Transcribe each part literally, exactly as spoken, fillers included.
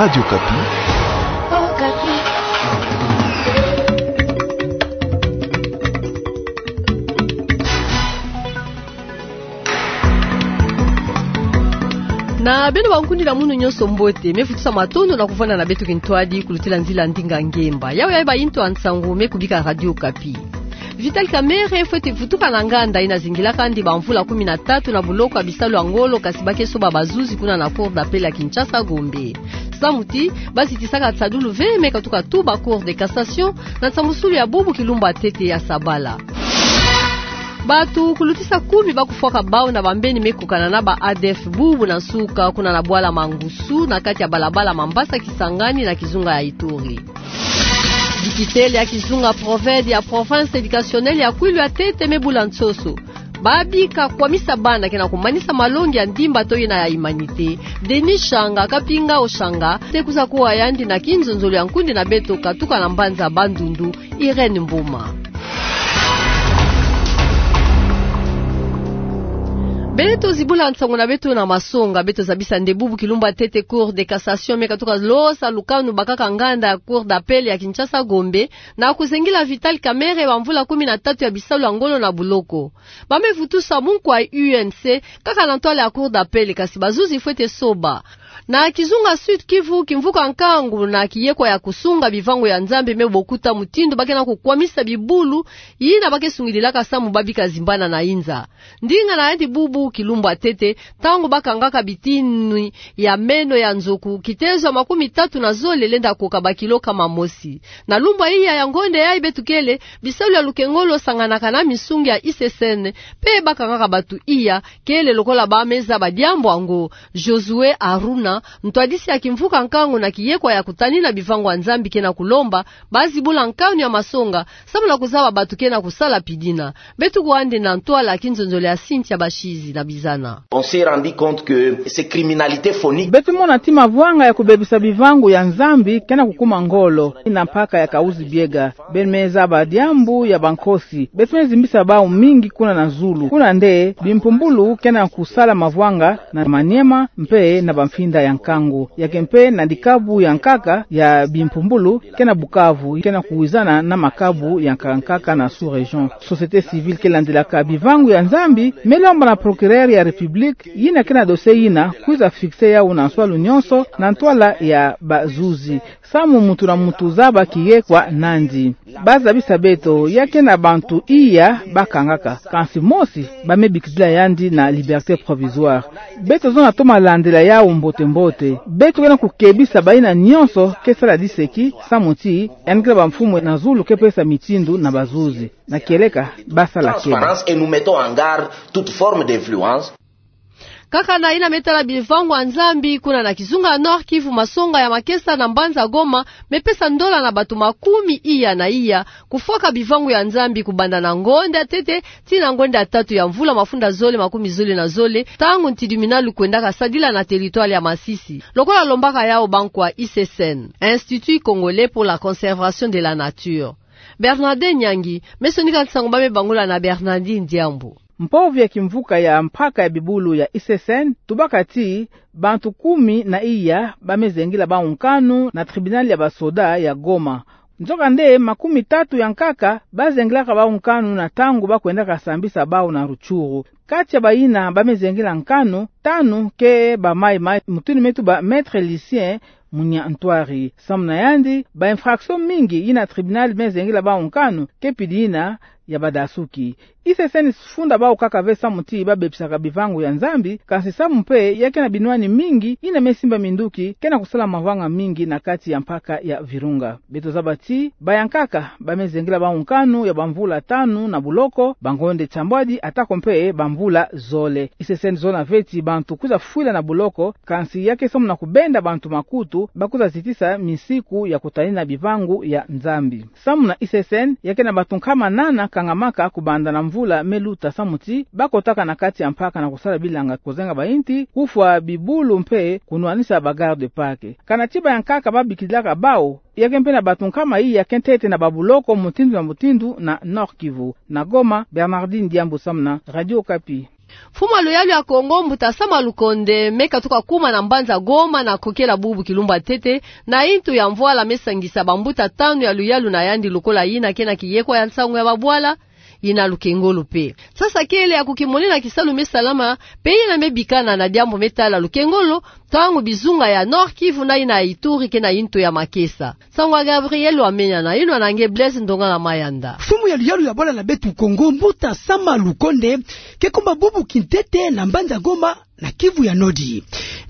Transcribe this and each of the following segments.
Radio Okapi. Na beno bankundi na munu nyonso mbote, me futusa matondo na kuvwanda na beto kintwadi kulutila nzila ndinga ngemba. Yawe ya bayintu ya nsangu me kubika Radio Okapi. Vital Kamerhe fwete vutuka na nganda yina zingilaka yandi bamvula kumi na tatu na buloko ya bisalu ya ngolo, kasi ba ke soba bazuzi kuna na Cour d'appel ya Kinshasa Gombe. Samu ti ba zitisaka nsadulu ve me katuka tuba Cour de cassation na nsamusulu ya bubu kilumbu ya ntete ya sabala. Bato kulutisa kumi ba kufwaka bau na bambeni me kukana na ba A D F bubu na nsuka kuna na bwala Mangusu na kati ya balabala Mambasa Kisangani na kizunga ya Ituri. Bikitele ya kizunga Proved ya Province Educationnelle ya Kwilu ya ntete me bula nsoso. Ba bika kwamisa bana ke na kumanisa malongi ya ndimba to yina ya humanité. Denis Shanga, Kapinga Oshanga, te kwiza kuwa yandi na kinzonzolo ya nkundi na beto katuka na mbanza Bandundu, Irène Mboma. Beto zibula nsangu na beto na masonga, beto zabisa nde bubu kilumbu ya ntete Cour de cassation me katuka losa lukanu bakaka nganda ya Cour d'appel ya Kinshasa Gombe, na kuzengila Vital Kamerhe bamvula kumi na tatu ya bisalu ya ngolo na buloko. Ba me vutusa munkwa U N C kaka na ntwala ya Cour d'appel, kasi bazuzi fwete soba. Na kizunga Sud Kivu, kimvuka nkangu na kiyekwa ya kusunga bivangu ya Nzambi me bokuta mutindu ba ke na kukwamisa bibulu yina ba ke sungidilaka samu ba bika zimbana na inza. Ndinga na yandi bubu kilumbu ya ntete, ntangu ba kangaka bitini ya meno ya nzoku, kitezo ya makumi tatu na zole lenda koka bakilo kama mosi. Na lumbu ya iya ya ngonde yayi beto kele, bisalu ya lukengolo sanganaka na misungi ya I C C N, pe ba kangaka bato iya, kele lokola ba me zaba diambu yango. Josué Aruna, ntwadisi ya kimvuka nkangu na kiyekwa ya kutanina bivangu ya Nzambi ke na kulomba ba zibula nkanu ya masonga, samu na kuzaba bato ke na kusala pidina. Beto kuwa nde na ntwala ya kinzonzolo ya Cynthia Bashizi na Bizana. On s'est rendu compte que ces criminalités phoniques. Beto mona ti mavwanga ya kubebisa bivangu ya Nzambi ke na kukuma ngolo, na mpaka ya Kahuzi-Biega. Beno me zaba diambu ya bankosi. Beto me zimbisa bau mingi kuna na zulu. Kuna nde bimpumbulu ke na kusala mavwanga na Maniema mpe na bamfinda ya nkangu. Ya ke mpe na dikabu ya nkaka ya bimpumbulu ke na Bukavu, ke na kuwizana na makabu ya nkaka nkaka na sous-région. Société civile ke landilaka bivangu ya Nzambi me lomba na procureur ya République yina ke na dossier yina kwiza fixer yau na nswalu nyonso na ntwala ya bazuzi, samu muntu na muntu zaba kiyekwa nandi. Ba zabisa beto ya ke na bantu iya ba kangaka, kansi mosi ba me bikidila yandi na liberté provisoire. Beto zona toma landila yau mbote-mbote. Beto ke na kukebisa bayina nyonso ke sala diseki, samu ti yandi kele bamfumu na zulu ke pesa mitindu na bazuzi. Na kieleka ba sala kele. Transparence et nous mettons en garde toute forme d'influence. Kaka na yina me tala bivangu ya Nzambi, kuna na kizunga ya Nord-Kivu, masonga ya makesa na mbanza Goma me pesa ndola na bato makumi iya na iya kufwaka bivangu ya Nzambi kubanda na ngonde ya ntete tii na ngonde ya tatu ya mvula mafunda zole makumi zole na zole, ntangu ntidimina lukwendaka sadila na territoire ya Masisi, lokola lombaka yau bankwa I C C N, Institut Congolais pour la Conservation de la Nature. Bernardin Nyangi me sonika nsangu ba me bangula na Bernardin Diambu. Mpovi ya kimvuka ya mpaka ya bibulu ya I C C N tubaka ti bantu kumi na iya ba me zengila bau nkanu na tribunal ya basoda ya Goma. Nzokande, makumi tatu ya nkaka ba zengilaka bau nkanu na ntangu ba kwendaka sambisa bau na Rutshuru. Kati ya bayina ba me zengila nkanu, tanu ke ba maï-maï, mutindu me tuba Maître Lucien Munyantwari. Samu na yandi, ba infraction mingi yina tribunal me zengila bau nkanu ke pidi yina ya badasuki. I C C N se funda bau kaka ve samu ti ba bebisaka bivangu ya Nzambi, kansi samu mpe ya ke na binwani mingi yina me simba minduki ke na kusala mavanga mingi na kati ya mpaka ya Virunga. Beto zaba ti bayankaka ba me zengila bau nkanu ya bamvula tanu na buloko, bangonde nsambwadi, atako mpe bamvula zole. I C C N zona ve ti bantu kwiza fwila na buloko, kansi ya ke samu na kubenda bantu makutu ba kwiza zitisa misiku ya kutanina bivangu ya Nzambi. Samu na I C C N, ya ke na bantu nkama nana kangamaka kubanda na mvula me luta samu ti ba kotaka na kati ya mpaka na kusala bilanga, kuzenga bayinti, kufwa bibulu mpe kunwanisa ba garde-parc. Kana ti bayankaka ba bikilaka bau, ya ke mpe na bantu nkama iya ke ntete na babuloko mutindu na mutindu na Nord-Kivu. Na Goma, Bernardin Diambu samu na Radio Okapi. Mfumu ya luyalu ya Kongo, Mbuta Sama Lukonde, me katuka kuma na mbanza Goma na kokela bubu kilumbu ya ntete, na intu ya mvwala me sangisa bambuta tanu ya luyalu na yandi lokola yina ke na kiyekwa ya nsangu ya babwala, yina lukengolo pe. Sasa kele ya kukimonena kisalu me salama, pe yina me bikana na diambu me tala lukengolo, ntangu bizunga ya Nord-Kivu na yina ya Ituri ke na intu ya makesa. Nsangu ya Gabriel Wamenya na yinwa na nge Blaise Ndongala Mayanda. Mfumu ya luyalu ya bwala na beto Kongo, Mbuta Sama Lukonde, ke kuma bubu kintete na mbanza Goma na Kivu ya Nord.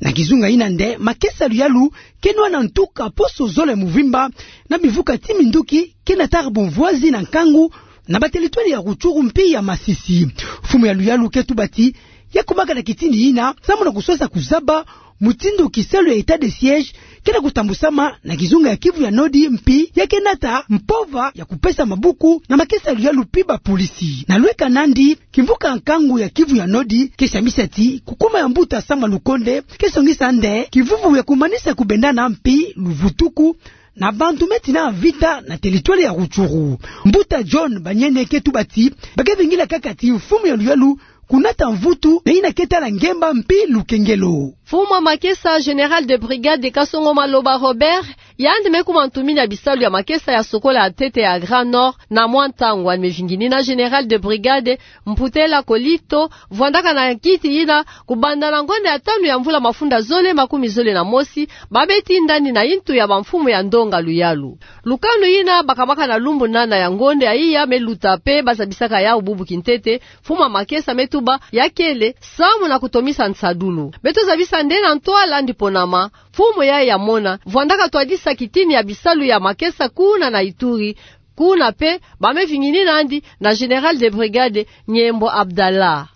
Na kizunga yina nde, makesa ya luyalu ke nwana ntuka poso zole muvimba, na mivuka ti minduki ke nataka bumvwazi na nkangu na batelitwali ya Rutshuru mpi ya Masisi. Mfumu ya luyalu ke tuba ti, ya kumaka na kitini yina, samu na kuswasa kuzaba mutindu kisalu ya état de siège ke na kutambusama na kizunga ya Kivu ya Nord, mpi ya ke nata mpova ya kupesa mabuku na makesa ya luyalu mpi bapolisi. Na lweka nandi, kimvuka nkangu ya Kivu ya Nord ke samisa ti kukuma ya Mbuta Sama Lukonde ke songisa nde kivuvu ya kumanisa kubendana mpi luvutuku na bantu me tina mvita na telitwali ya Rutshuru. Mbuta John Banyene ke tuba ti, ba ke vingila kaka ti mfumu ya luyalu kunata mvutu na yina ke tala ngemba mpi lukengelo. Mfumu ya makesa, général de brigade Kasongo Maloba Robert, yandi me kuma ntumini ya bisalu ya makesa ya sokola ya ntete ya Grand Nord, na mwa ntangu yandi me vinginina général de brigade Mputela Kolito, vwandaka na kiti yina, kubanda na ngonda ya tanu ya mvula mafunda zole makumi zole na mosi, ba me tindani na intu ya bamfumu ya ndonga luyalu. Lukanu yina bakamaka na lumbu nana ya ngonda ya iya me luta, pe ba zabisaka yawu bubu kintete, mfumu ya makesa me tuba ya kele samu na kutomisa nsadulu. Beto zabisa nde na ntwala yandi ponama, mfumu yayi ya mona, vwandaka twadisa kitini ya bisalu ya makesa kuna na Ituri, kuna pe ba me vinginina nandi na général de brigade Nyembo Abdallah.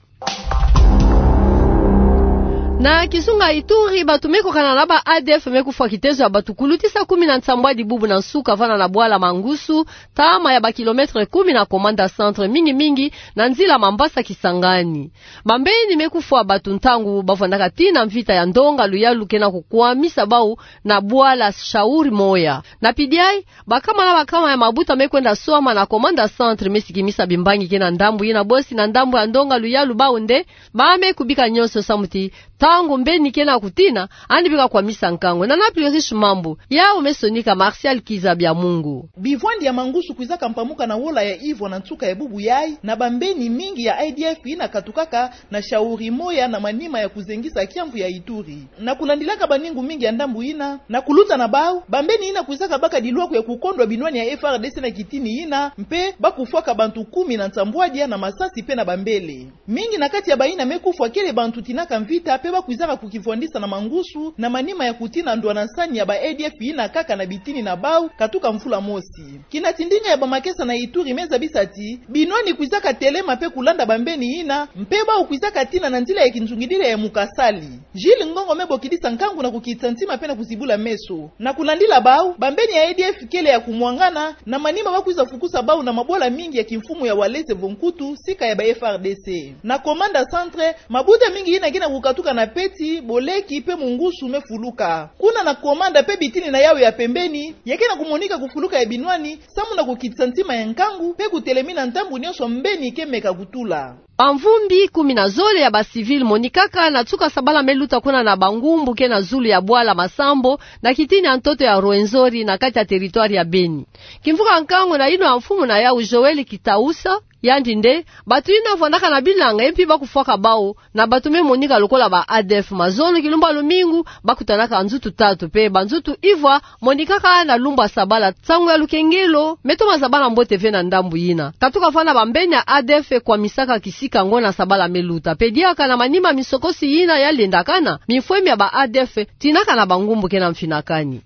Na kizunga Ituri, bantu me kokana na ba A D F me kufwa kitezo ya bantu kulutisa kumi na nsambwadi bubu na nsuka vana na bwala Mangusu, ntama ya ba kilomètre kumi na Komanda Centre, mingi mingi na nzila Mambasa Kisangani. Bambeni me kufwa bantu ntangu ba vwandaka tina mvita ya ndonga luyalu ke na kukwamisa bawu na bwala Shauri Moya. Na pidi ayi, bakama na bakama ya mabuta me kwenda swama na Komanda Centre me sikimisa bimbangi ke na ndambu yina bosi na ndambu ya ndonga luyalu bawu nde, ba me kubika nyonso samu ti ntangu mbeni ke na kutina, yandi bika kwamisa nkangu. Nana Pluriche Mambu, yawu me sonika Martial Kiza Bya Mungu. Bivwandi ya Mangusu kwizaka mpamuka na wola ya ivwa na nsuka ya bubu yayi, na bambeni mingi ya A D F yina katukaka na Shauri Moya na manima ya kuzengisa kiamvu ya Ituri. Na kulandilaka baningu mingi ya ndambu yina, na kuluta na bawu, bambeni yina kwizaka baka dilwaku ya kukondwa binwani ya F R D C na kitini yina, mpe ba kufwaka bantu kumi na nsambwadia na masasi mpe na bambele. Mingi na kati ya bayina me kufwa kele bantu tinaka mvita, mpe ba kwizaka kukivwandisa na Mangusu, na manima ya kutina ndwanansani ya ba A D F yina kaka na bitini na bawu, katuka mvula mosi. Kina ti ndinga ya bamakesa na Ituri me zabisa ti, binwani kwizaka telema mpe kulanda bambeni yina, mpe bawu kwizaka tina na nzila ya kinzungidila ya mukasali. Gilles Ngongo me bokidisa nkangu na kukitisa ntima mpe na kuzibula meso. Na kulandila bawu, bambeni ya A D F kele ya kumwangana, na manima ba kwiza fukusa bawu na mabwala mingi ya kimfumu ya Walese vo Nkutu, sika ya ba F R D C. Na Komanda Centre, mabuta mingi yina ke na kukatuka na Peti, Boleki, mpe Mungusu me fuluka. Kuna na Komanda mpe bitini na yawu ya pembeni, ya ke na kumonika kufuluka ya binwani, samu na kukitisa ntima ya nkangu, mpe kutelemina ntambu nyonso mbeni ke meka kutula. Bamvumbi kumi na zole ya ba civil monikaka na nsuka sabala me luta kuna na bangumbu ke na zulu ya bwala Masambo, na kitini ya ntoto ya Rwenzori na kati ya territoire ya Beni. Kimvuka nkangu na yinwa ya mfumu na yawu Joël Kitausa, yandi nde, bantu yina vwandaka na bilanga, ye mpi ba kufwaka bawu, na bantu me monika lokola ba A D F. Mazono kilumbu ya lumingu, ba kutanaka nzutu tatu, mpe banzutu ivwa monikaka na lumbu ya sabala. Nsangu ya lukengelo me toma zabana mbote ve na ndambu yina. Katuka vana bambeni ya A D F kwamisaka kisika ngo na sabala me luta. Mpe diaka na manima misokosi yina ya lendakana, mifwemi ya ba A D F tinaka na bangumbu ke na mfinakani.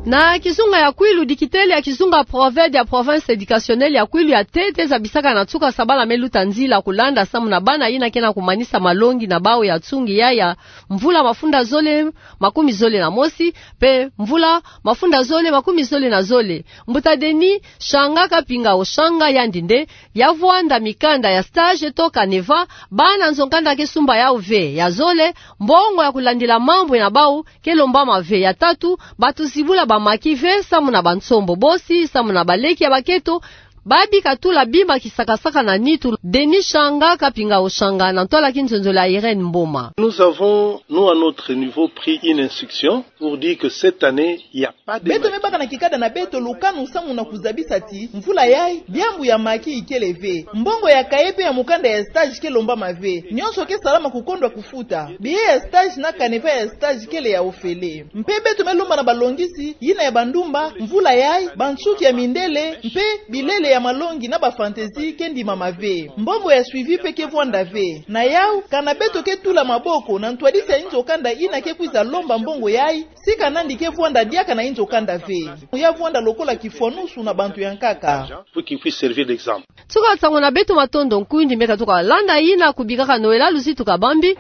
Na kizunga ya Kwilu, dikitele ya kizunga Proved ya Province Educationnelle ya Kwilu ya ntete zabisaka na nsuka sabala me luta nzila kulanda samu na bana yina ke na kumanisa malongi na bawu ya nsungi ya ya mvula mafunda zole makumi zole na mosi, mpe mvula mafunda zole makumi zole na zole. Mbuta Denis Shanga Kapinga Oshanga, yandi nde ya vwanda mikanda ya stage to canevas, bana nzo nkanda ke sumba yawu ve. Ya zole, mbongo ya kulandila mambu na bawu ke lombama ve. Ya tatu, bantu zibula bamaki ve samu na bansombo bosi, samu na baleki ya baketo, Ba bika tula bima kisakasaka na nitu. Denis Shanga, Kapinga Oshanga, na ntwala ki nzonzolo ya Irène Mboma. Nous avons, nous, à notre niveau, pris une instruction pour dire que cette année, il y a pas de... Beto me baka na kikada na beto lukanu samu na kuzabisa ti mvula yayi, diambu ya maki ikele ve. Mbongo ya cahier pe ya mukanda ya stage ke lombama ve. Nyonso ke salama kukondwa kufuta. Billet ya stage na canevas ya stage kele ya ofele. Mpe beto me lomba na balongisi yina ya bandumba, mvula yayi, bansuki ya mindele, mpe bilele ya malongi na ba fantaisie ke ndimama ve. Mbongo ya suivi pe ke vwanda ve. Na yawu, kana beto ke tula maboko na ntwadisi ya inzo kanda yina ke kwiza lomba mbongo yayi, si kana ndi ke vwanda diaka na inzo kanda ve. Ya vwanda lokola kifwanusu na bantu ya nkaka. Pour qu'il puisse servir d'exemple. Nsuka nsangu na beto, matondo. Nkundi meka tuka landa yina kubikaka Noël Alusi, tuka bambi: